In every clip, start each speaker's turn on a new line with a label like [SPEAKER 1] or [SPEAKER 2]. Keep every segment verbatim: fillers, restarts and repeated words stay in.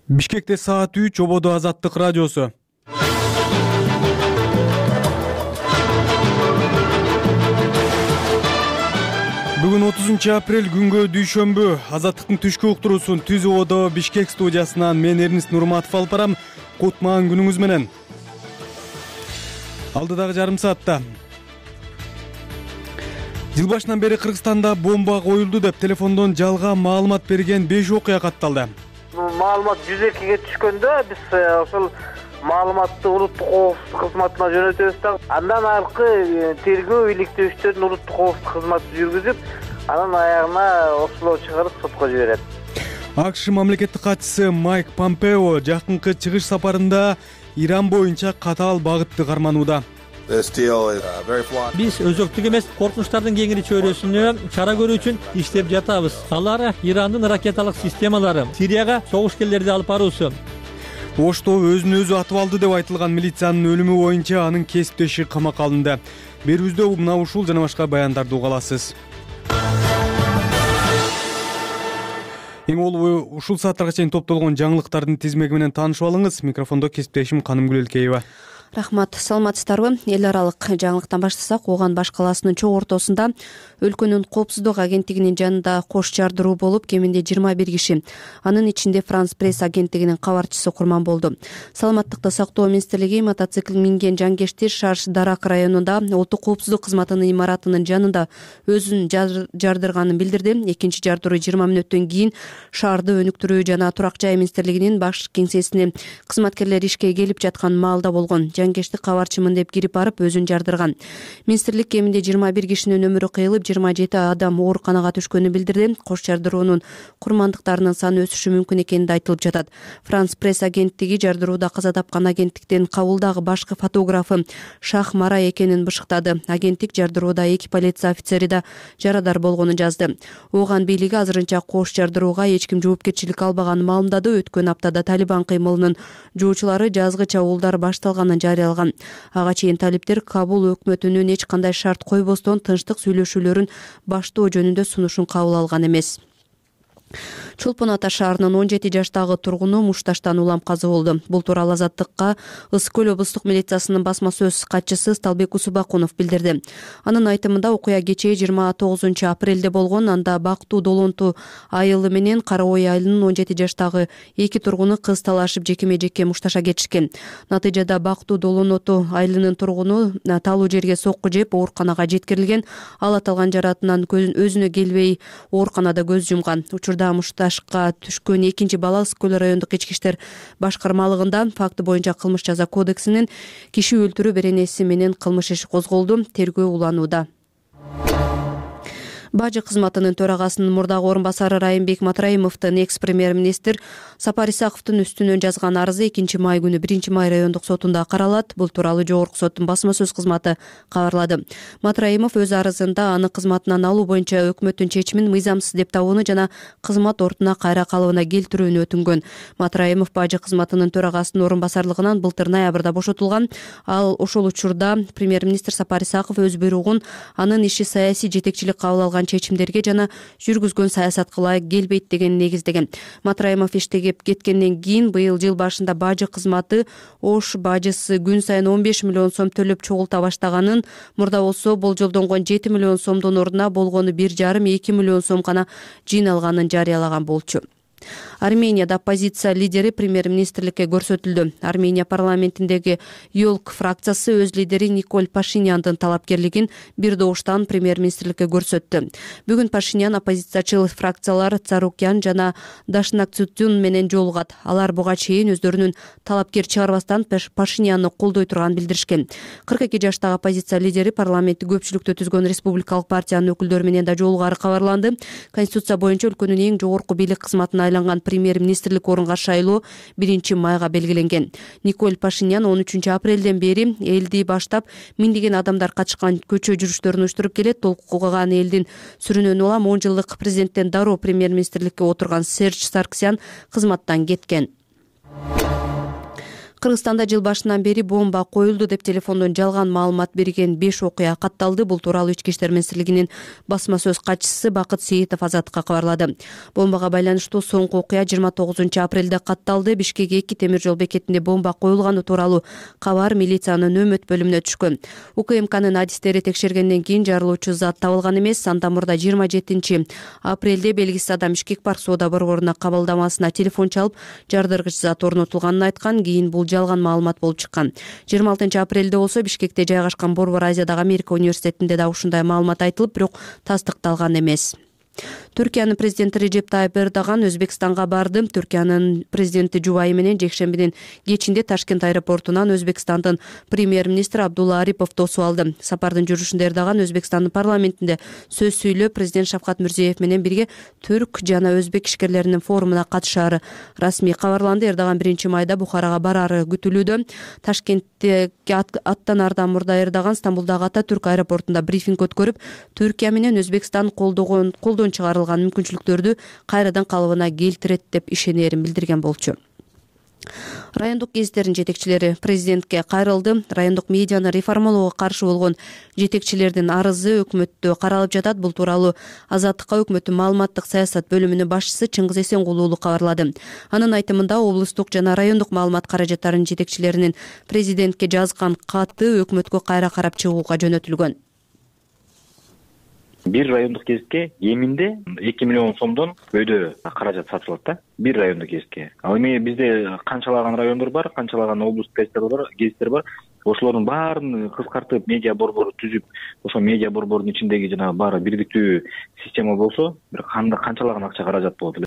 [SPEAKER 1] Бишкекте саат үч, ободо Азаттык радиосу. Бүгүн отузунчу апрель күнгө дүйшөмбү. Азаттыктын түшкү уктуруусун Түз ободо Бишкек студиясынан мен Эрнис Нурматов алып барам. Кутман күнүңүз менен. Алдыдагы жарым саатта жыл башынан бери Кыргызстанда бомба коюлду деп телефондон жалган маалымат берген беш окуя катталды.
[SPEAKER 2] Маалымат жүз экиге түшкөндө биз ошол маалыматты улуттук коопсуздук кызматына жөнөтөбүз да андан аркы тергөө иликтөөчүлөрдүн улуттук коопсуздук кызматы жүргүзүп, анан аягына оштолоо чыгарып сотко жиберет.
[SPEAKER 1] АКШ мамлекеттик катчысы Майк Помпео жакынкы чыгыш сапарында Иран боюнча катаал багытты карманууда.
[SPEAKER 3] Биз өзөктүк эмес коркунучтардын кеңири чөйрөсүнө чара көрүү үчүн иштеп жатабыз. Алар Ирандын ракеталык системалары, Сирияга согушкерлерди алып баруусу.
[SPEAKER 1] Ошто өзүн өзү атып алды деп айтылган милициянын өлүмү боюнча анын кесиптеши камакка алынды. Берүүбүздө мына ушул жана башка баяндарды уга аласыз. Эң олуу ушул сааттарга чейин топтолгон жаңылыктардын тизмеги менен таанышып алыңыз. Микрофондо кесиптешим Канымгүл Элкеева.
[SPEAKER 4] Рахмат, саламатсыздарбы? Эл аралык жаңылыктан баштасак, Ооган баш калаасынын чоң ортосунда өлкөнүн коопсуздук агенттигинин жанында кош жардыруу болуп, кеминде жыйырма бир киши, анын ичинде Франс пресс агенттигинин кабарчысы курман болду. Саламаттыкты сактоо министрлиги мотоцикл минген жангештер Шарш-Дарак районунда улуттук коопсуздук кызматынын имаратынын жанында өзүн жардырганын билдирди. Экинчи жардыруу жыйырма мүнөттөн кийин шаарды өнүктүрүү жана турак жай министрлигинин баш кеңсесине кызматкерлер ишке келип жаткан маалда болгон. Жангештик кабарчымын деп кирип барып өзүн жардырган. Министрлик кеминде жыйырма бир кишинин өмүрү кыйылып, жыйырма жети адам ооруканага түшкөнүн билдирди. Кош жардыруунун курмандыктарынын саны өсүшү мүмкүн экени айтылып жатат. Франс пресс агенттиги жардырууда каза тапкан агенттиктин Кабулдагы башкы фотографы Шах Марай экенин бышыктады. Агенттик жардырууда эки полиция офицери да жарадар болгонун жазды. Ооган бийлиги азырынча кош жардырууга эч ким жоопкерчилик албаганын маалымдады. Өткөн аптада Талибан кыймылынын жоочулары жазгы чабуулдар башталганын жарыялаган. Ага чейин талиптер Кабул өкмөтүнүн эч кандай шарт койбостон тынчтык сүйлөшүүлөрүн баштоо жөнүндө сунушун кабыл алган эмес. Чолпон Ата шаарынын он жети жаштагы тургуну мушташтан улам каза болду. Бул тууралуу Азаттыкка Ысык көл облустук милициясынын басма сөз катчысы Сталбек Усубакунов билдирди. Анын айтымында окуя кечээ жыйырма тогузунчу апрелде болгон. Анда Бактуу Долонту айылы менен Кара Ой айылынын он жети жаштагы эки тургуну кыз талашып жекеме-жеке мушташа кетишкен. Натыйжада Бактуу Долонту айылынын тургуну талуу жерге сокку жеп ооруканага жеткирилген. Ал аталган жаратынан өзүнө келбей ооруканада көз жумган. Учурда мушташка түшкөн экинчи бала Ысык көл райондук ички иштер башкармалыгында факты боюнча кылмыш жаза кодексинин киши өлтүрүү беренеси менен кылмыш иши козголду. Тергөө уланууда. Бажы кызматынын төрагасынын мурдагы орун басары Райымбек Матраимовдун экс-премьер-министр Сапар Исаковдун үстүнөн жазган арызы экинчи май күнү биринчи май райондук сотунда каралат. Бул тууралуу жогорку соттун басма сөз кызматы кабарлады. Матраимов өз арызында аны кызматынан алуу боюнча өкмөттүн чечимин мыйзамсыз деп табууну жана кызмат ордуна кайра калыбына келтирүүнү өтүнгөн. Матраимов бажы кызматынын төрагасынын орун басарлыгынан былтыр ноябрда бошотулган. Ал ошол учурда премьер-министр Сапар Исаков өз буйругун анын иши саясий жетекчилик кабыл алган чечимдерге жана жүргүзгөн саясатка ылайык келбейт деген негиздеген. Матраимов иштеге кеткенден кийин быйыл жыл башында бажы кызматы Ош бажысы күн сайын он беш миллион сом төлөп чогулта баштаганын, мурда болсо болжолдонгон жети миллион сомдун ордуна болгону бир жарым эки миллион сом гана жыйналганын жарыялаган болчу. Арменияда оппозиция лидери премьер-министрликке көрсөтүлдү. Армения парламентиндеги Ёлк фракциясы өз лидери Николь Пашиняндын талапкерлигин бир добуштан премьер-министрликке көрсөттү. Бүгүн Пашинян оппозициячыл фракциялар Царукян жана Дашнакцутюн менен жолугат. Алар буга чейин өздөрүнүн талапкер чыгарбастан Пашинянды колдой турганын билдиришкен. кырк эки жаштагы оппозиция лидери парламентти көпчүлүктө түзгөн республикалык партиянын өкүлдөрү менен да жолугары кабарланды. Конституция боюнча өлкөнүн эң жогорку бийлик кызматына айланган премьер-министрлик орунга шайлоо биринчи майга белгиленген. Николь Пашинян он үчүнчү апрелден бери элди баштап миңдеген адамдар катышкан көчө жүрүштөрүн уюштуруп келет. Толкуган элдин сүрүнөнү улам он жылдык президенттен дароо премьер-министрликке отурган Серж Сарксян кызматтан кеткен. Кыргызстанда жыл башынан бери бомба коюлду деп телефондон жалган маалымат берген беш окуя катталды. Бул тууралуу Ички иштер министрлигинин басма сөз катчысы Бакыт Сейитов Азаттыкка кабарлады. Бомбага байланыштуу соңку окуя жыйырма тогузунчу апрелде катталды. Бишкек эки темир жол бекетинде бомба коюлганы тууралуу кабар милициянын нөмөт бөлүмүнө түшкөн. УКМКнын адистери текшергенден кийин жарылуучу зат табылган эмес. Андан мурда жыйырма жетинчи апрелде белгисиз адам Бишкек парк соода борборунун кабылдамасына телефон чалып, жардыргыч зат орнотулганын айткан. Кийин бул жалган маалымат болуп чыккан. жыйырма алтынчы апрелде болсо Бишкекте жайгашкан Борбор Азиядагы Америка университетинде да ушундай маалымат айтылып, бирок тастыкталган эмес. Түркиянын президенти Режеп Тайып Эрдоган Өзбекстанга барды. Түркиянын президенти жубайы менен жекшембинин кечинде Ташкент аэропортунан Өзбекстандын премьер-министри Абдулла Арипов тосуп алды. Сапардын жүрүшүндө Эрдоган Өзбекстандын парламентинде сөз сүйлөп, президент Шавкат Мирзиеев менен бирге түрк жана өзбек ишкерлеринин форумуна катышаары расмий кабарланды. Эрдоган биринчи майда Бухарага бараары күтүлүүдө. Ташкентте аттанаардан мурда Эрдоган Стамбулдагы Ататүрк аэропортунда брифинг өткөрүп, Түркия менен Өзбекстан колдогон колдон чыгарылган мүмкүнчүлүктөрдү кайрадан калыбына келтирет деп ишенерин билдирген болчу. Райондук гезиттердин жетекчилери президентке кайрылды. Райондук медианы реформалоого каршы болгон жетекчилердин арызы өкмөттө каралып жатат. Бул тууралуу Азаттыкка өкмөттүн маалыматтык саясат бөлүмүнүн башчысы Чыңгыз Эсенгул уулу кабарлады. Анын айтымында облустук жана райондук маалымат каражаттарынын жетекчилеринин президентке жазган каты өкмөткө кайра карап чыгууга жөнөтүлгөн.
[SPEAKER 5] Бир райондук гезитке кеминде эки миллион сомдон өйдө каражат сатылат да. Бир райондук гезитке. Ал эми бизде канчалаган райондор бар, канчалаган облустук гезиттер бар, гезиттер бар. Ошолордун баарын кыскартып медиа борбору түзүп, ошол медиа борбордун ичиндеги жана баары бирдиктүү система болсо, бир кандай канчалаган акча каражат болот эле.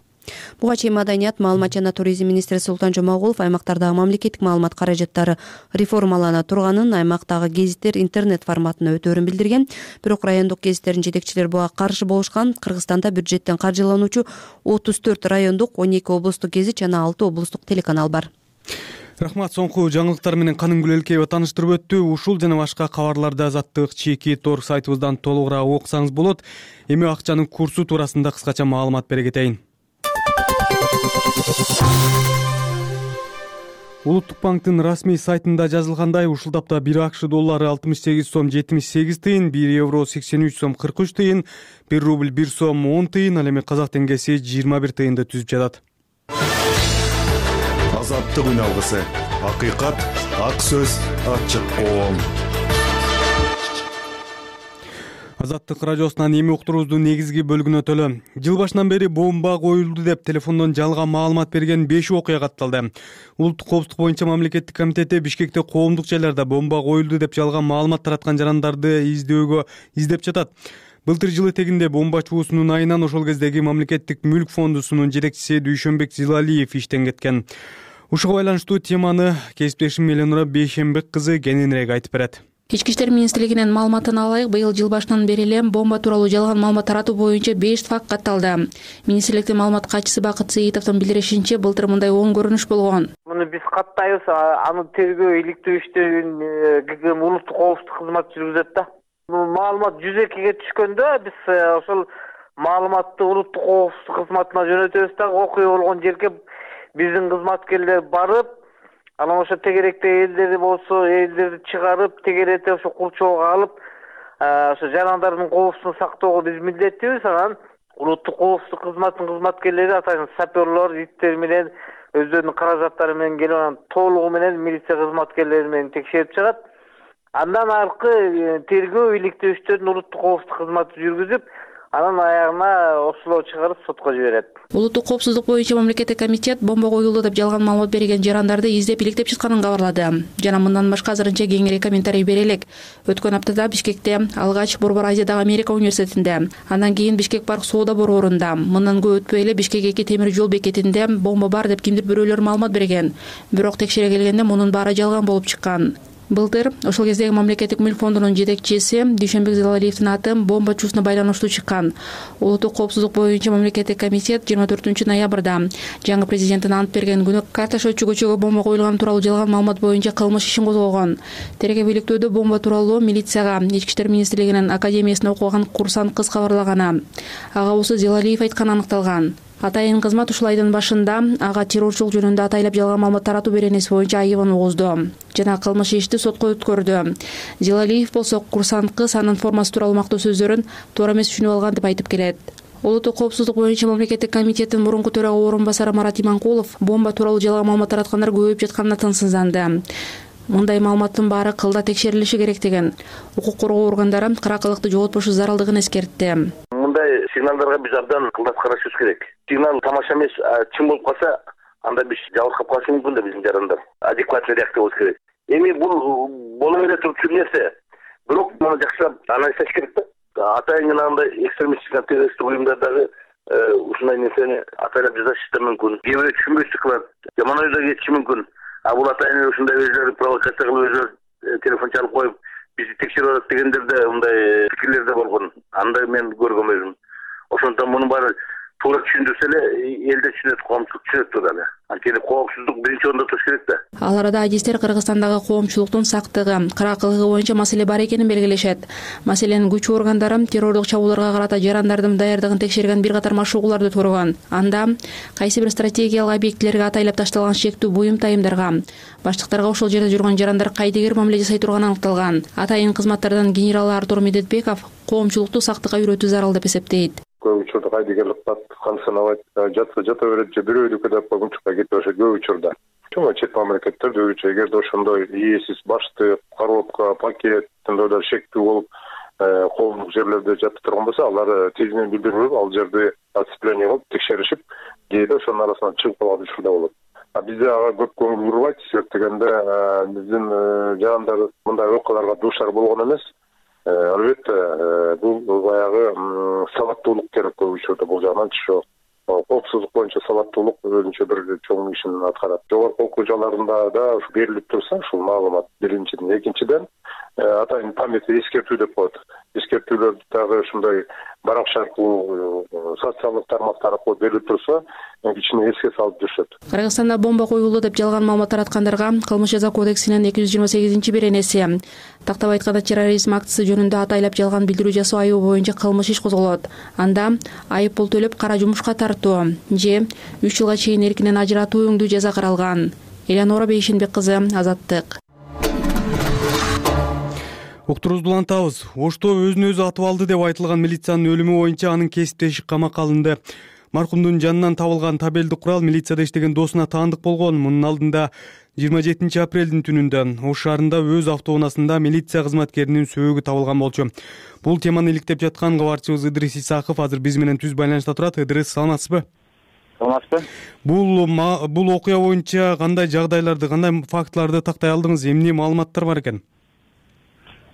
[SPEAKER 4] Буга чейин Маданият, маалымат жана туризм министри Султан Жомагулов аймактардагы мамлекеттик маалымат каражаттары реформалана турганын, аймактагы гезиттер интернет форматына өтөөрүн билдирген. Бирок райондук гезиттердин жетекчилери буга каршы болушкан. Кыргызстанда бюджеттен каржылануучу отуз төрт райондук, он эки облустук гезит жана алты облустук телеканал бар.
[SPEAKER 1] Рахмат, соңку жаңылыктар менен Каным Гүлөлкеева тааныштырып өттү. Ушул жана башка кабарларды Азаттык чеки торг сайтыбыздан толугураак окусаңыз болот. Эми акчанын курсу туурасында кыскача маалымат бере кетейин. Улуттук банктын расмий сайтында жазылгандай, ушул тапта бир АКШ доллары алтымыш сегиз сом жетимиш сегиз тыйын, бир евро сексен үч сом кырк үч тыйын, бир рубль бир сом он тыйын, ал эми казак теңгеси жыйырма бир тыйынды түзүп жатат.
[SPEAKER 6] Азаттык үн алгысы, акыйкат, ак сөз, ачык коом.
[SPEAKER 1] Азаттык радиосунан эми уктуруубуздун негизги бөлүгүнө төлө. Жыл башынан бери бомба коюлду деп телефондон жалган маалымат берген беш окуя катталды. Улуттук коопсуздук боюнча мамлекеттик комитети Бишкекте коомдук жайларда бомба коюлду деп жалган маалымат тараткан жарандарды издөөгө издеп жатат. Былтыр жыл этегинде бомбачуусунун айынан ошол кездеги мамлекеттик мүлк фондусунун жетекчиси Дүйшөнбек Зилалиев иштен кеткен. Ушуга байланыштуу теманы кесиптешим Эленора Бейшембек кызы кененирээк айтып берет.
[SPEAKER 7] Ички иштер министрлигинин маалыматына алайык, быйыл жыл башынан бери эле бомба тууралуу жалган маалымат таратуу боюнча беш факт катталды. Министрликтин маалымат катчысы Бакыт Сейитовдун билдиришинче, былтыр мындай он көрүнүш болгон.
[SPEAKER 2] Муну биз каттайбыз, аны тергөө иликтөө иштерин ГГМ улуттук коопсуздук кызматы жүргүзөт да. Маалымат жүз экиге түшкөндө биз ошол маалыматты улуттук коопсуздук кызматына жөнөтөбүз да, окуя болгон жерге биздин кызматкерлер барып, анан ошо тегеректе элдери болсо, элдерди чыгарып, тегеретип ошо курчоого алып, ошо жарандардын коопсуздугун сактоого биз милдеттүүбүз. Анан улуттук коопсуздук кызматынын кызматкерлери атайын саперлор, иттер менен өздөрүнүн каражаттары менен келип, анан толугу менен милиция кызматкерлери менен текшерип чыгат. Андан аркы тергөө иликтөө иштерин улуттук коопсуздук кызматы жүргүзүп, анан аягына оштолоо чыгарып сотко жиберет.
[SPEAKER 7] Улуттук коопсуздук боюнча мамлекеттик комитет бомба коюлду деп жалган маалымат берген жарандарды издеп иликтеп чыкканын кабарлады. Жана мындан башка азырынча кеңири комментарий бере элек. Өткөн аптада Бишкекте алгач Борбор Азиядагы Америка университетинде, андан кийин Бишкек парк соода борборунда, мындан көп өтпөй эле Бишкек эки темир жол бекетинде бомба бар деп кимдир бирөөлөр маалымат берген. Бирок текшере келгенде мунун баары жалган болуп чыккан. Былтыр ошол кездеги мамлекеттик мүлк фондунун жетекчиси Дүйшөнбек Зилалиевдин аты бомбачуусуна байланыштуу чыккан. Улуттук коопсуздук боюнча мамлекеттик комитет жыйырма төртүнчү ноябрда жаңы президенттин ант берген күнү Карташөчү көчөгө бомба коюлган тууралуу жалган маалымат боюнча кылмыш ишин козгогон. Тергөө иликтөөдө бомба тууралуу милицияга Ички иштер министрлигинин академиясында окуган курсант кыз кабарлаганы. Ага болсо Зилалиев айтканы аныкталган. Атайын кызмат ушул айдын башында ага террорчулук жөнүндө атайлап жалган маалымат таратуу беренеси боюнча айыбын угузду жана кылмыш ишти сотко өткөрдү. Зилалиев болсо курсант кыз анын формасы тууралуу мактоо сөздөрүн туура эмес түшүнүп алган деп айтып келет. Улуттук коопсуздук боюнча мамлекеттик комитеттин мурунку төрага орун басары Марат Иманкулов бомба тууралуу жалган маалымат тараткандар көбөйүп жатканына тынчсызданды. Мындай маалыматтын баары кылда текшерилиши керек деген. Укук коргоо органдары кыракылыкты жоготпошу зарылдыгын эскертти.
[SPEAKER 8] Мындай сигналдарга биз абдан кылдат карашыбыз керек. Сигнал тамаша эмес, чын болуп калса, анда биз жабыркап калышы мүмкүн да биздин жарандар. Адекватный реакция болуш керек. Эми бул боло бере турчу нерсе. Бирок муну жакшылап анализдеш керек да. Атайын андай экстремисттик террористтик уюмдардагы ушундай нерсени атайлап жазышы да мүмкүн. Кээ бирөө түшүнбөстүк кылат, жаман ойдо кетиши мүмкүн. А бул атайын ушундай өзүлөрү провокация кылып өзүлөрү телефон чалып коюп бизди текшерип атат дегендер да мындай пикирлер да болгон. Андай мен көргөм өзүм. Ошондон мунун баары туура түшүндүрсө эле эл да түшүнөт, коомчулук түшүнөт тууралуу эле. Анткени коопсуздук биринчи орунда туруш керек да.
[SPEAKER 7] Ал арада адистер Кыргызстандагы коомчулуктун сактыгы, кыракылыгы боюнча маселе бар экенин белгилешет. Маселенин күч органдары террордук чабуулдарга карата жарандардын даярдыгын текшерген бир катар машыгууларды турган. Анда кайсы бир стратегиялык объектилерге атайлап ташталган шектүү буюм тайымдарга, баштыктарга ошол жерде жүргөн жарандар кайдыгер мамиле жасай турганы аныкталган. Атайын кызматтардан генерал Артур Медетбеков коомчулукту сактыкка үйрөтүү зарыл деп эсептейт.
[SPEAKER 9] Көп учурда кайдыгерлик кылат, кансанабайт, жатса жата берет же бирөөдүкү деп койгунчукка кетип башат көп учурда. Чоң чет мамлекеттерде өзүчө эгерде ошондой ээсиз баштык, коробка, пакет андайлар шектүү болуп, коомдук жерлерде жатып турган болсо, алар тезинен билдирип, ал жерде отцепление кылып текшеришип, кээде ошонун арасынан чыгып калган учурда болот. А бизде ага көп көңүл бурбайт, себептегенде биздин жарандар мындай окуяларга дуушар болгон эмес. Албетте бул баягы сабаттуулук керек көп учурда бул жагынан чыгып. Коопсуздук боюнча сабаттуулук өзүнчө бир чоң ишин аткарат. Жогорку окуу жайларында да берилип турса ушул маалымат биринчиден, экинчиден атайын память эскертүү деп коет. Эскертүүлөрдү дагы ушундай баракча аркылуу, социалдык тармактар аркылуу берилип турса, кичине эске салып жүрүшөт.
[SPEAKER 7] Кыргызстанда бомба коюлду деп жалган маалымат тараткандарга кылмыш жаза кодексинин эки жүз жыйырма сегизинчи беренеси, тактап айтканда терроризм актысы жөнүндө атайлап жалган билдирүү жасоо айыбы боюнча кылмыш иш козголот. Анда айып пул төлөп кара жумушка тартуу же үч жылга чейин эркинен ажыратуу өңдүү жаза каралган. Элянора Бейшенбек кызы, Азаттык.
[SPEAKER 1] Уктурубузду улантабыз. Ошто өзүн өзү атып алды деп айтылган милициянын өлүмү боюнча анын кесиптеши камакка алынды. Маркумдун жанынан табылган табелди курал милицияда иштеген досуна таандык болгон. Мунун алдында жыйырма жетинчи апрелдин түнүндө Ош шаарында өз автоунаасында милиция кызматкеринин сөөгү табылган болчу. Бул теманы иликтеп жаткан кабарчыбыз Ыдырыс Исаков азыр биз менен түз байланышта турат. Ыдырыс, саламатсызбы?
[SPEAKER 8] Саламатсызбы?
[SPEAKER 1] Бул бул окуя боюнча кандай жагдайларды, кандай фактыларды тактай алдыңыз? Эмне маалыматтар бар экен?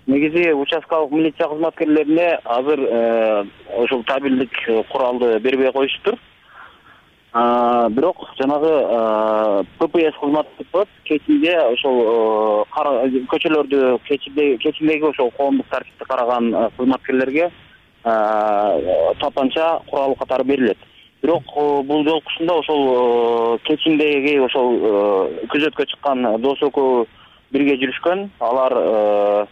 [SPEAKER 8] Негизи участкалык милиция кызматкерлерине азыр ошол табелдик куралды бербей коюшуптур. Бирок жанагы ППС кызматы деп коет, кечинде ошол көчөлөрдү кечиндеги ошол коомдук тартипти караган кызматкерлерге тапанча курал катары берилет. Бирок бул жолкусунда ошол кечиндеги ошол күзөткө чыккан дос экөө бирге жүрүшкөн. Алар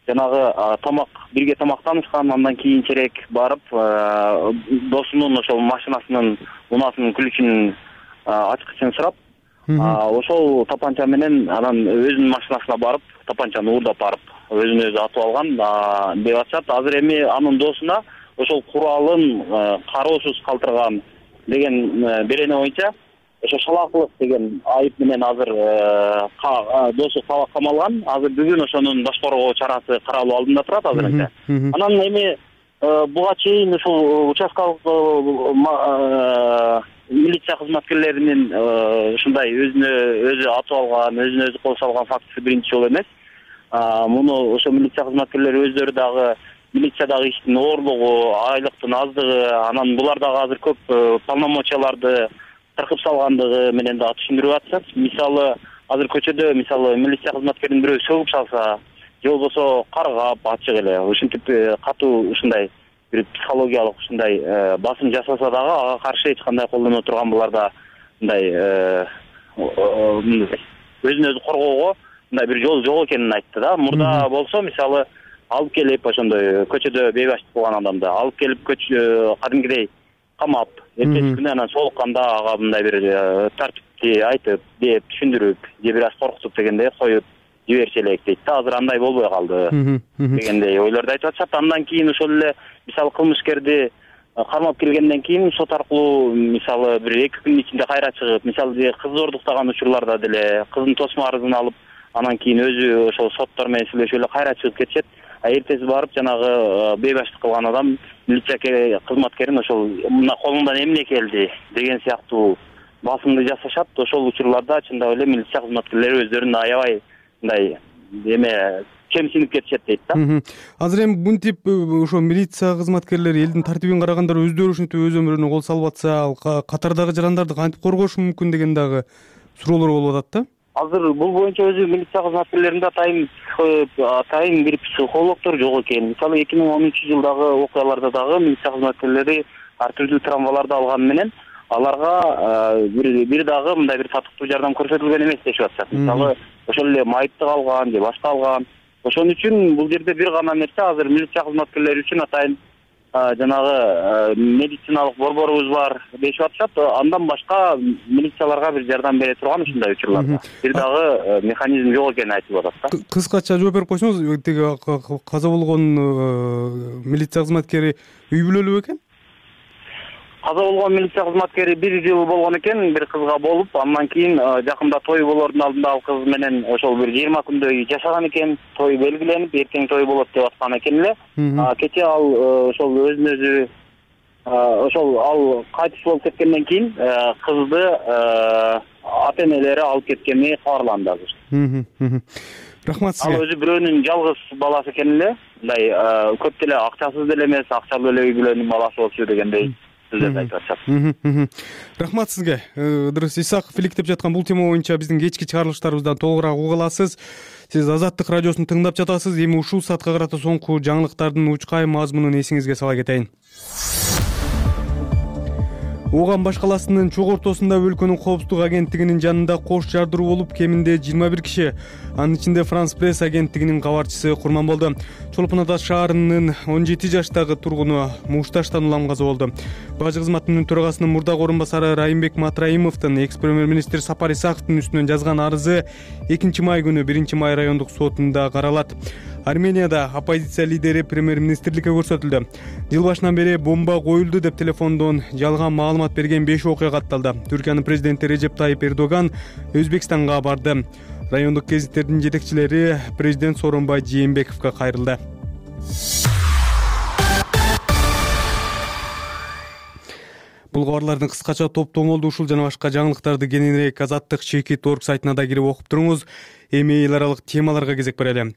[SPEAKER 8] жанагы тамак бирге тамактанышкан, андан кийинчерээк барып досунун ошол машинасынын унаасынын ключун ачкычын сурап, ошол тапанча менен анан өзүнүн машинасына барып, тапанчаны уурдап барып, өзүн өзү атып алган деп атышат. Азыр эми анын досуна ошол куралын кароосуз калтырган деген берене боюнча ошо шалаакылык деген айып менен азыр досу камалган. Азыр бүгүн ошонун баш коргоо чарасы каралуу алдында турат азырынча. Анан эми буга чейин ушул участкалык милиция кызматкерлеринин ушундай өзүнө өзү атып алган, өзүнө өзү кол салган фактысы биринчи жолу эмес. Муну ошо милиция кызматкерлери өздөрү дагы милициядагы иштин оорлугу, айлыктын аздыгы, анан булар дагы азыр көп полномочияларды тыркып салгандыгы менен да түшүндүрүп атышат. Мисалы, азыр көчөдө мисалы милиция кызматкерин бирөө сөгүп салса, же болбосо каргап ачык эле ушинтип катуу ушундай бир психологиялык ушундай басым жасаса дагы ага каршы эч кандай колдоно турган буларда мындай өзүн өзү коргоого мындай бир жол жок экенин айтты да. Мурда болсо мисалы алып келип ошондой көчөдө бейбаштык кылган адамды алып келип көчө кадимкидей камап эртеси күнү анан соолукканда ага мындай бир тартипти айтып деп түшүндүрүп же бир аз коркутуп дегендей коюп жиберчү элек дейт да. Азыр андай болбой калды дегендей ойлорду айтып атышат. Андан кийин ошол эле мисалы кылмышкерди кармап келгенден кийин сот аркылуу мисалы бир эки күндүн ичинде кайра чыгып, мисалы кыз зордуктаган учурларда деле кыздын тосмо арызын алып, анан кийин өзү ошол соттор менен сүйлөшүп эле кайра чыгып кетишет. А эртеси барып жанагы бейбаштык кылган адам милиция кызматкерин ошол мына колуңдан эмне келди деген сыяктуу басымды жасашат. Ошол учурларда чындап эле милиция кызматкерлери өздөрүн аябай мындай эме кемсинип кетишет дейт да.
[SPEAKER 1] Азыр эми бул тип ошо милиция кызматкерлери элдин тартибин караганда өздөрү ушинтип өз өмүрүнө кол салып атса, ал катардагы жарандарды кантип коргошу мүмкүн деген дагы суроолор болуп атат да.
[SPEAKER 8] Азыр бул боюнча өзү милиция кызматкерлеринде атайын атайын бир психологдор жок экен. Мисалы эки миң он үчүнчү жылдагы окуяларда дагы милиция кызматкерлери ар түрдүү травмаларды алганы менен аларга бир бир дагы мындай бир татыктуу жардам көрсөтүлгөн эмес дешип атышат. Мисалы ошол эле майыптык алган же башка алган. Ошон үчүн бул жерде бир гана нерсе азыр милиция кызматкерлери үчүн атайын жанагы медициналык борборубуз бар дешип атышат. Андан башка милицияларга бир жардам бере турган ушундай учурларда бир дагы механизм жок экенин айтылып атат да.
[SPEAKER 1] Кыскача жооп берип койсоңуз, тиги каза болгон милиция кызматкери үй бүлөлүү экен?
[SPEAKER 8] Каза болгон милиция кызматкери бир жыл болгон экен, бир кызга болуп, андан кийин жакында той болордун алдында ал кыз менен ошол бир жыйырма күндөй жашаган экен. Той белгиленип, эртең той болот деп аткан экен эле. Кечээ ал ошол өзүн өзү ошол ал кайтыш болуп кеткенден кийин кызды ата энелери алып кеткени кабарланды азыр.
[SPEAKER 1] Рахмат сизге.
[SPEAKER 8] Ал өзү бирөөнүн жалгыз баласы экен эле. Мындай көп деле акчасыз деле эмес, акчалуу эле үй бүлөнүн баласы болчу дегендей.
[SPEAKER 1] Рахмат сизге. Ыдырыс Исаков иликтеп жаткан бул тема боюнча биздин кечки чыгарылыштарыбыздан толугураак уга аласыз. Сиз Азаттык радиосун тыңдап жатасыз. Эми ушул саатка карата соңку жаңылыктардын учкай мазмунун эсиңизге сала кетейин. Ооган баш каласынын чок ортосунда өлкөнүн коопсуздук агенттигинин жанында кош жардыруу болуп, кеминде жыйырма бир киши, анын ичинде Франс Пресс агенттигинин кабарчысы курман болду. Чолпон Ата шаарынын он жети жаштагы тургуну мушташтан улам каза болду. Бажы кызматынын төрагасынын мурдагы орун басары Райымбек Матраимовдун экс премьер-министр Сапар Исаковдун үстүнөн жазган арызы экинчи май күнү биринчи май райондук сотунда каралат. Арменияда оппозиция лидери премьер-министрликке көрсөтүлдү. Жыл башынан бери бомба коюлду деп телефондон жалган маалымат берген беш окуя катталды. Түркиянын президенти Режеп Тайип Эрдоган Өзбекстанга барды. Райондук гезиттердин жетекчилери президент Сооронбай Жээнбековго кайрылды. Бул кабарлардын кыскача топтомолду ушул жана башка жаңылыктарды кененирээк Азаттык чекит точка орг сайтына да кирип окуп туруңуз. Эми эл аралык темаларга кезек берели.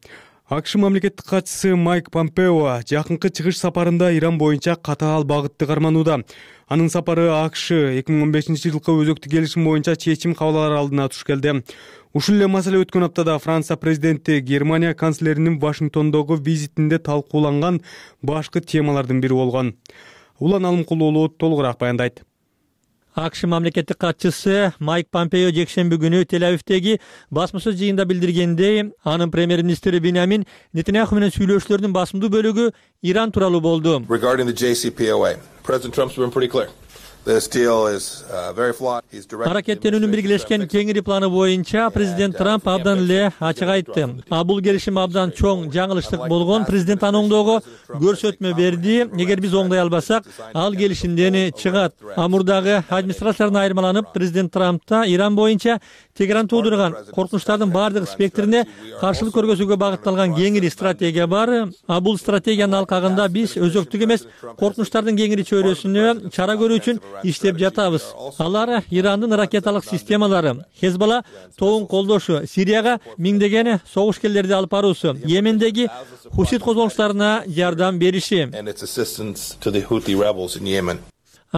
[SPEAKER 1] АКШ мамлекеттик катчысы Майк Помпео жакынкы чыгыш сапарында Иран боюнча катаал багытты карманууда. Анын сапары АКШ эки миң он бешинчи жылкы өзөктү келишим боюнча чечим кабыл алар алдына туш келди. Ушул эле маселе өткөн аптада Франция президенти Германия канцлеринин Вашингтондогу визитинде талкууланган башкы темалардын бири болгон. Улан Алымкулуулу толугураак баяндайт.
[SPEAKER 3] АКШ мамлекеттик катчысы Майк Помпео жекшемби күнү Тель-Авивдеги басма-сөз жыйынында билдиргендей, анын премьер-министри Беньямин Нетаньяху менен сүйлөшүүлөрдүн басымдуу бөлүгү Иран тууралуу болду.
[SPEAKER 10] Regarding the J C P O A, President Trump's been pretty clear. This deal is uh, very flawed. He's directed
[SPEAKER 3] Аракеттенүүнүн биргелешкен кеңири планы боюнча президент Трамп абдан эле ачык айтты. А бул келишим абдан чоң жаңылыштык болгон. Президент аны оңдоого көрсөтмө берди. Эгер биз оңдой албасак, ал келишимден чыгат. Амурдагы администрациялардан айырмаланып, президент Трампта Иран боюнча Тегеран туудурган коркунучтардын баардык спектрине каршылык көргөзүүгө багытталган кеңири стратегия бар. А бул стратегиянын алкагында биз өзөктүк эмес, коркунучтардын кеңири чөйрөсүнө чара көрүү үчүн иштеп жатабыз. Алар Ирандын ракеталык системалары, Хезболла тобун колдошу, Сирияга миңдеген согушкерлерди алып баруусу, Йемендеги хусит козголуштарына жардам бериши.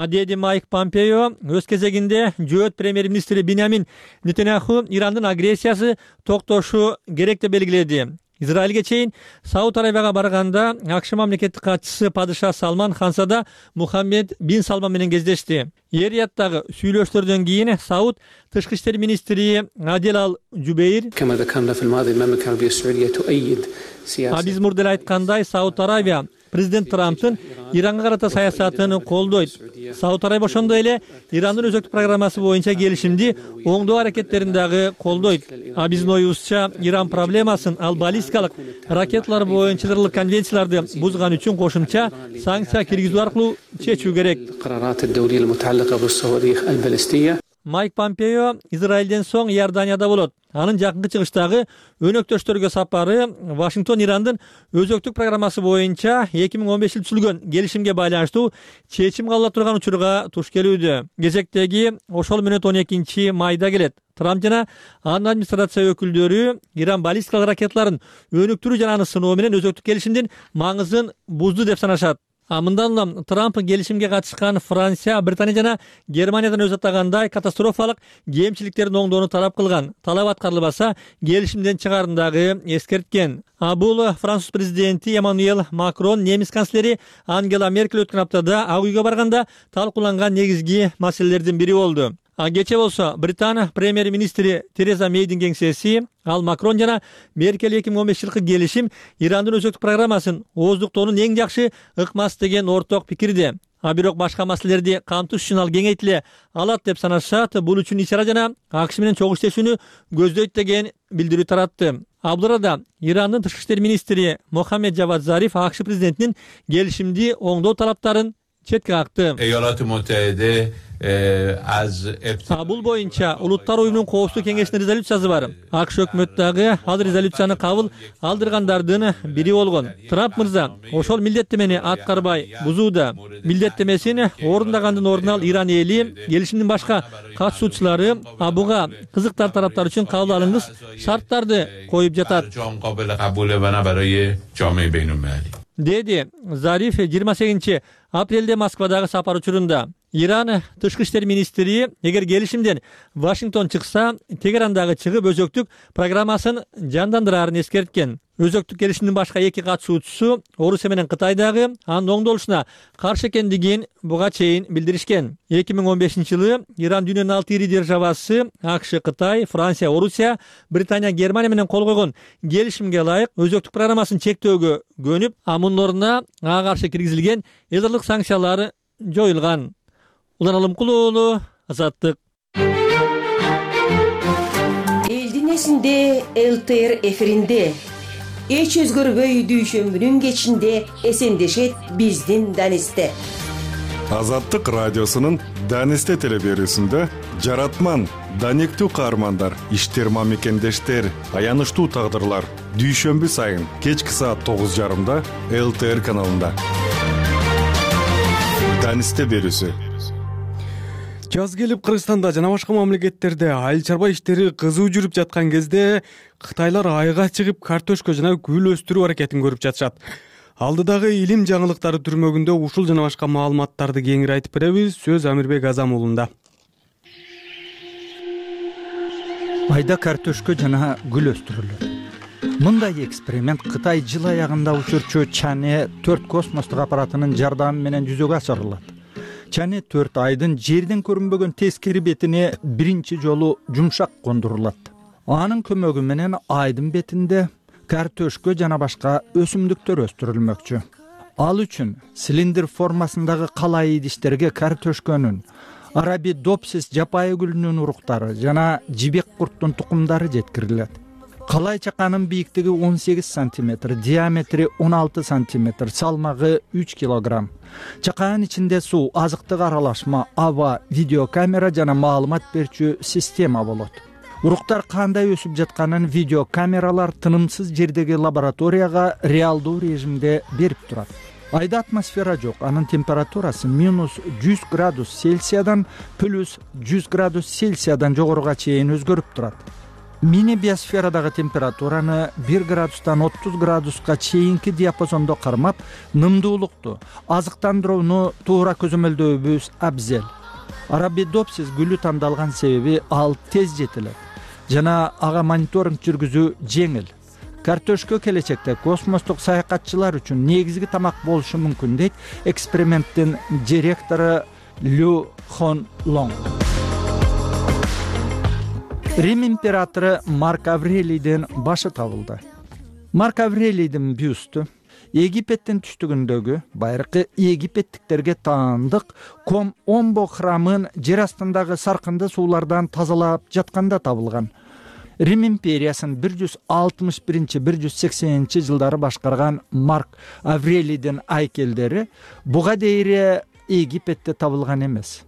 [SPEAKER 3] Деди Майк Помпео өз кезегинде жөөт премьер-министри Беньямин Нетаньяху Ирандын агрессиясы токтошу керек деп белгиледи. Израилге чейин Сауд Арабияга барганда АКШ мамлекеттик катчысы падыша Салман Хансада Мухаммед бин Салман менен кездешти. Эр-Рияттагы сүйлөшүүлөрдөн кийин Сауд тышкы иштер министри Адил Ал-Жубейр А биз мурда эле айткандай, Сауд Арабия президент Трамптын Иранга карата саясатын колдойт. Сауд Арабия ошондой эле Ирандын өзөктүк программасы боюнча келишимди оңдоо аракеттерин дагы колдойт. А биздин оюбузча Иран проблемасын ал баллистикалык ракеталар боюнча чыгарылган конвенцияларды бузган үчүн кошумча санкция киргизүү аркылуу чечүү керек. Майк Помпео Израилден соң Иорданияда болот. Анын жакынкы чыгыштагы өнөктөштөргө сапары Вашингтон Ирандын өзөктүк программасы боюнча эки миң он беш жылы түзүлгөн келишимге байланыштуу чечим кабыл алып турган учурга туш келүүдө. Кезектеги ошол мүнөт он экинчи майда келет. Трамп жана анын администрация өкүлдөрү Иран баллистикалык ракеталарын өнүктүрүү жана аны сыноо менен өзөктүк келишимдин маңызын бузду деп санашат. А мындан улам Трамп келишимге катышкан Франция, Британия жана Германиядан өз атагандай катастрофалык кемчиликтерин оңдоону талап кылган. Талап аткарылбаса, келишимден чыгарын дагы эскерткен. А бул Француз президенти Эммануэль Макрон, немис канцлери Ангела Меркель өткөн аптада Ак үйгө барганда талкууланган негизги маселелердин бири болду. А кече болсо Британия премьер-министри Тереза Мейдин кеңсеси ал Макрон жана Меркель эки миң он беш жылкы келишим Ирандын өзөктүк программасын ооздуктоонун эң жакшы ыкмасы деген орток пикирде. А бирок башка маселелерди камтыш үчүн ал кеңейтиле алат деп санашат. Бул үчүн иш чара жана АКШ менен чогуу иштешүүнү көздөйт деген билдирүү таратты. А бул арада Ирандын тышкы иштер министри Мохаммед Жавад Зариф АКШ президентинин келишимди оңдоо талаптарын четке какты. А бул боюнча Улуттар уюмунун коопсуздук кеңешинин резолюциясы бар. АКШ өкмөтү дагы ал резолюцияны кабыл алдыргандардын бири болгон. Трамп мырза ошол милдеттемени аткарбай бузууда. Милдеттемесин орундагандын ордуна ал Иран эли, келишимдин башка катышуучулары буга кызыктар тараптар үчүн кабыл алынгыс шарттарды коюп жатат. Деди Зариф жыйырма сегизинчи апрелде Москвадагы сапар учурунда. Иран тышкы иштер министри эгер келишимден Вашингтон чыкса, Тегерандагы чыгып өзөктүк программасын жандандырарын эскерткен. Өзөктүк келишимдин башка эки катышуучусу Орусия менен Кытай дагы анын оңдолушуна каршы экендигин буга чейин билдиришкен. эки миң он бешинчи жылы Иран дүйнөнүн алты ири державасы АКШ, Кытай, Франция, Орусия, Британия, Германия менен кол койгон келишимге ылайык өзөктүк программасын чектөөгө көнүп, а мунун ордуна ага каршы киргизилген язырлык санкциялар жоюлган. Улан Алымкулуу уулу, Азаттык.
[SPEAKER 11] Элдин эсинде Л Т Р эфиринде эч өзгөрбөй дүйшөмбүнүн кечинде эсендешет биздин Данисте.
[SPEAKER 6] Азаттык радиосунун Данисте телеберүүсүндө жаратман, даниктүү каармандар, иштер мамекендештер, аянычтуу тагдырлар дүйшөмбү сайын кечки саат тогуз жарымда Л Т Р каналында. Данисте берүүсү.
[SPEAKER 1] Жаз келип Кыргызстанда жана башка мамлекеттерде айыл чарба иштери кызуу жүрүп жаткан кезде Кытайлар айга чыгып картошка жана гүл өстүрүү аракетин көрүп жатышат. Алдыдагы илим жаңылыктары түрмөгүндө ушул жана башка маалыматтарды кеңири айтып беребиз. Сөз Амирбек Азам уулунда.
[SPEAKER 12] Айда картошка жана гүл өстүрүлөт. Мындай эксперимент Кытай жыл аягында учурчу Чане төрт космостук аппаратынын жардамы менен жүзөгө ашырылат. Чане төрт айдын жерден көрүнбөгөн тескери бетине биринчи жолу жумшак кондурулат. Анын көмөгү менен айдын бетинде картошка жана башка өсүмдүктөр өстүрүлмөкчү. Ал үчүн цилиндр формасындагы калай идиштерге картошканын, Арабидопсис жапайы гүлүнүн уруктары жана жибек курттун тукумдары жеткирилет. Калай чаканын бийиктиги он сегиз сантиметр, диаметри он алты сантиметр, салмагы үч килограмм. Чаканын ичинде суу, азыктык аралашма, аба, видеокамера жана маалымат берүүчү система болот. Уруктар кандай өсүп жатканын видеокамералар тынымсыз жердеги лабораторияга реалдуу режимде берип турат. Айда атмосфера жок, анын температурасы минус жүз градус Цельсиядан плюс жүз градус Цельсиядан жогоруга чейин өзгөрүп турат. Мини биосферадагы температураны бир градустан отуз градуска чейинки диапазондо кармап, нымдуулукту, азыктандырууну туура көзөмөлдөүүбүз абзел. Арабидопсис гүлү тандалган себеби ал тез жетилет жана ага мониторинг жүргүзүү жеңил. Картошка келечекте космостук саякатчылар үчүн негизги тамак болушу мүмкүн дейт эксперименттин директору Лю Хон Лонг. Рим императору Марк Аврелийдин башы табылды. Марк Аврелийдин бюсту Египеттин түштүгүндөгү байыркы египеттиктерге таандык Ком-Омбо храмын жер астындагы саркынды суулардан тазалап жатканда табылган. Рим империясын бир жүз алтымыш биринчи бир жүз сексенинчи жылдары башкарган Марк Аврелийдин айкелдери буга дейре Египетте табылган эмес.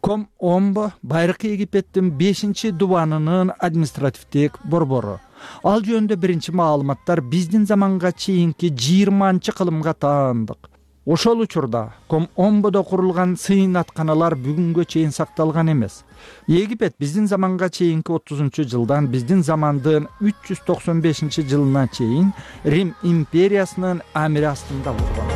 [SPEAKER 12] Ком-Омбо байыркы Египеттин бешинчи дубанынын административдик борбору. Ал жөнүндө биринчи маалыматтар биздин заманга чейинки жыйырманчы кылымга таандык. Ошол учурда Ком-Омбодо курулган сыйнатканалар бүгүнгө чейин сакталган эмес. Египет биздин заманга чейинки отузунчу жылдан биздин замандын үч жүз токсон бешинчи жылына чейин Рим империясынын амири астында болгон.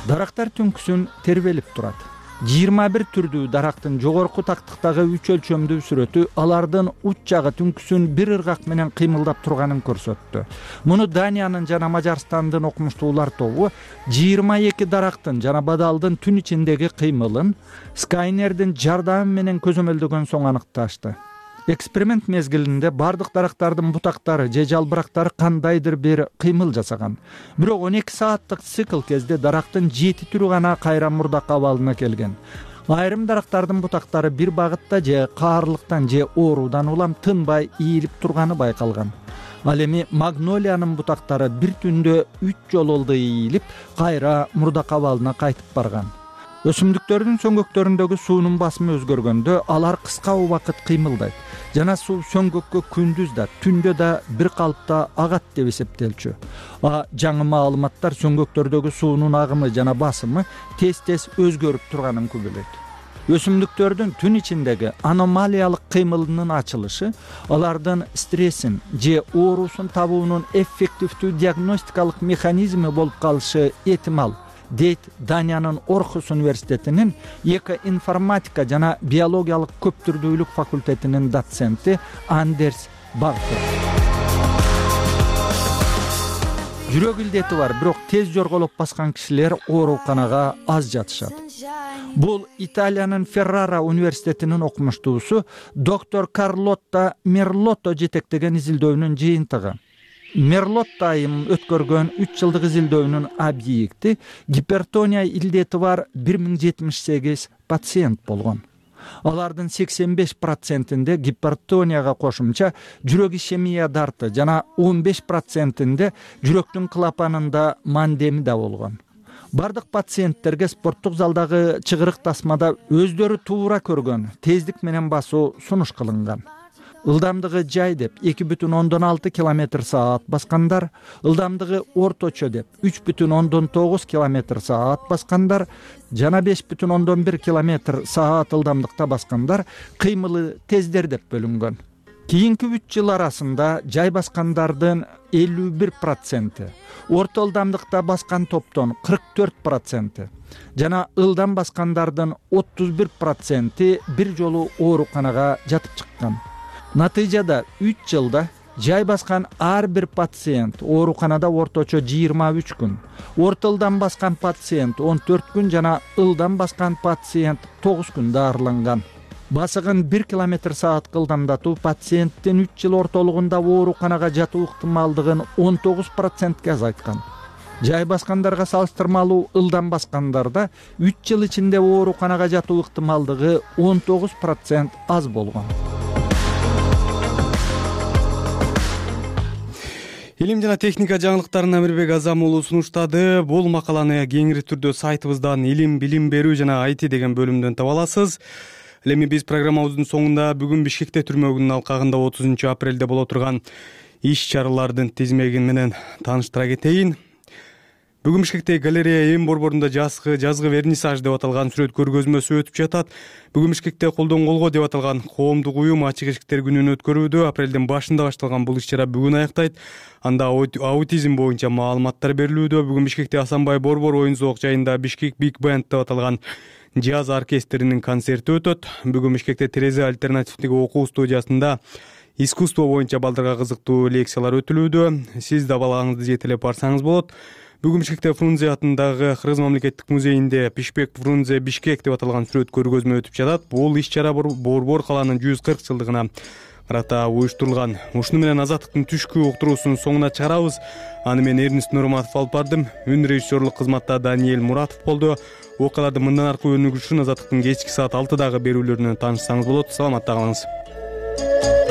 [SPEAKER 12] Дарактар түнкүсүн тербелип турат. жыйырма бир түрдүү дарактын жогорку тактыктагы үч өлчөмдүү сүрөтү алардын уч жагы түнкүсүн бир ыргак менен кыймылдап турганын көрсөттү. Муну Даниянын жана Мажарстандын окумуштуулар тобу жыйырма эки дарактын жана бадалдын түн ичиндеги кыймылын Скайнердин жардамы менен көзөмөлдөгөн соң аныкташты. Эксперимент мезгилинде бардык дарактардын бутактары же жалбырактары кандайдыр бир кыймыл жасаган. Бирок он эки сааттык цикл кезде дарактын жети түрү гана кайра мурдак абалына келген. Айрым дарактардын бутактары бир багытта же каарлыктан же оорудан улам тынбай ийилип турганы байкалган. Ал эми магнолиянын бутактары бир түндө үч жолу ийилип, кайра мурдак абалына кайтып барган. Өсүмдүктөрдүн сөңгөктөрүндөгү суунун басымы өзгөргөндө алар кыска убакыт кыймылдайт. Жана суу сөңгөккө күндүз да, түндө да бир калыпта агат деп эсептелчү. А жаңы маалыматтар сөңгөктөрдөгү суунун агымы жана басымы тез-тез өзгөрүп турганын күбөлөйт. Өсүмдүктөрдүн түн ичиндеги аномалиялык кыймылынын ачылышы алардын стрессин же оорусун табуунун эффективдүү диагностикалык механизми болуп калышы эhtимал, дейт Даниянын Орхус университетинин экоинформатика жана биологиялык көптүрдүүлүк факультетинин доценти Андерс Багтер. Жүрөк илдети бар, бирок тез жорголоп баскан кишилер ооруканага аз жатышат. Бул Италиянын Феррара университетинин окумуштуусу доктор Карлотта Мерлотто жетектеген изилдөөнүн жыйынтыгы. Мерлотто айым өткөргөн үч жылдык изилдөөнүн объекти гипертония илдети бар бир миң жетимиш сегиз пациент болгон. Алардын сексен беш процентинде гипертонияга кошумча жүрөк ишемия дарты жана он беш процентинде жүрөктүн клапанында мандеми да болгон. Бардык пациенттерге спорттук залдагы чыгырык тасмада өздөрү туура көргөн тездик менен басуу сунуш кылынган. Ылдамдыгы жай деп эки бүтүн ондон алты километр саат баскандар, ылдамдыгы орточо деп үч бүтүн ондон тогуз километр саат баскандар жана беш бүтүн ондон бир километр саат ылдамдыкта баскандар кыймылы тездер деп бөлүнгөн. Кийинки үч жыл арасында жай баскандардын элүү бир проценти, орто ылдамдыкта баскан топтон кырк төрт проценти жана ылдам баскандардын отуз бир проценти бир жолу ооруканага жатып чыккан. Натыйжада үч жылда жай баскан ар бир пациент ооруканада орточо жыйырма үч күн, орто ылдам баскан пациент он төрт күн жана ылдам баскан пациент тогуз күн даарыланган. Басыгын бир километр саатка ылдамдатуу пациенттин үч жыл ортолугунда ооруканага жатуу ыктымалдыгын он тогуз процентке азайткан. Жай баскандарга салыштырмалуу ылдам баскандарда үч жыл ичинде ооруканага жатуу ыктымалдыгы он тогуз процент аз болгон.
[SPEAKER 1] Илим жана техника жаңылыктарын Амирбек Азам уулу сунуштады. Бул макаланы кеңири түрдө сайтыбыздан илим, билим берүү жана ай ти деген бөлүмдөн таба аласыз. Эми биз программабыздын соңунда бүгүн Бишкекте түрмөгүнүн алкагында отузунчу апрелде боло турган иш чаралардын тизмеги менен тааныштыра кетейин. Бүгүн Бишкекте галерея эм борборунда жазгы жазгы вернисаж деп аталган сүрөт көргөзмөсү өтүп жатат. Бүгүн Бишкекте колдон колго деп аталган коомдук уюм ачык эшиктер күнүн өткөрүүдө. Апрелдин башында башталган бул иш чара бүгүн аяктайт. Анда аутизм боюнча маалыматтар берилүүдө. Бүгүн Бишкекте Асанбай борбор оюн зоок жайында Бишкек Big Band деп аталган джаз оркестринин концерти өтөт. Бүгүн Бишкекте Терезе альтернативдик окуу студиясында искусство боюнча балдарга кызыктуу лекциялар өтүлүүдө. Сиз да балаңызды жетелеп барсаңыз болот. Бүгүн Бишкекте Фрунзе атындагы Кыргыз мамлекеттик музейинде Пишпек Фрунзе Бишкек деп аталган сүрөт көргөзмө өтүп жатат. Бул иш чара борбор калаанын жүз кырк жылдыгына карата уюштурулган. Ушуну менен Азаттыктын түшкү уктуруусунун соңуна чыгарабыз. Аны мен Эрнест Нурматов алып бардым. Үн режиссерлук кызматта Даниэль Муратов болду. Окуяларды мындан аркы өнүгүү үчүн Азаттыктын кечки саат алтыдагы берүүлөрүнөн таанышсаңыз болот. Саламатта калыңыз.